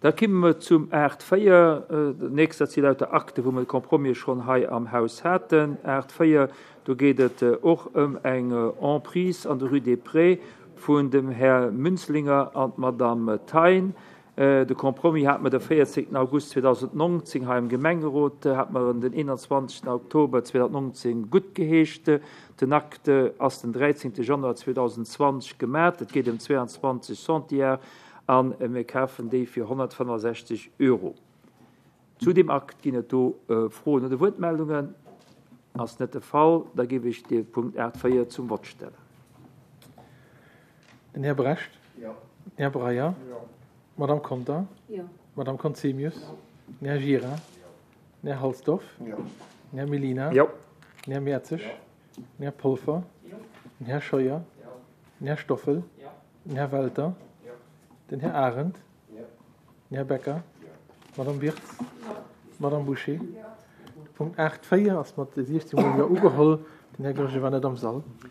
Da kimme mer zum Art 4. Dat nächst, dat si lauter Akte, wou mer de Compromis schonn hei am Haus haten. Art 4, do geet et och ëm eng Emprise an der Rue des Prés vun dem Här Münzlinger an d'Madame Thein. De Compromis hate mer de 14 August 2019 hei am Gemengerot, hate mer en den 21 Oktober 2019 guttgeheescht. Den Acte ass den 13 Januar 2020 gemat. Et geet ëm 22 Centiar a mir kafen déi fir 165 Euro. Zu deem Akt ginn et do Froen oder Wuertmeldungen? Ass net de Fall. Da géif ech de Punkt 8, 4 zum Vott stellen. Den Här Brecht. Jo. Den Här Breyer. Jo. D'Madame Conter. Jo. D'Madame Conzemius. Jo. Den Här Gira. Jo. Den Här Halsdorf. Jo. Den Här Mellina. Jo. Den Här Mertzig. Jo. Den Här Polfer. Jo. Den Här Scheuer. Jo. Den Här Stoffel. Jo. Den Här Welter. Jo. Den Här Arendt. Jo. Den Här Becker. Jo. D'Madame Wirtz. Jo. D'Madame Bouché. Jo. De Punkt 8, 4 ass mat 16 mol Jo ugeholl. Den Här Goergen war net am Sall.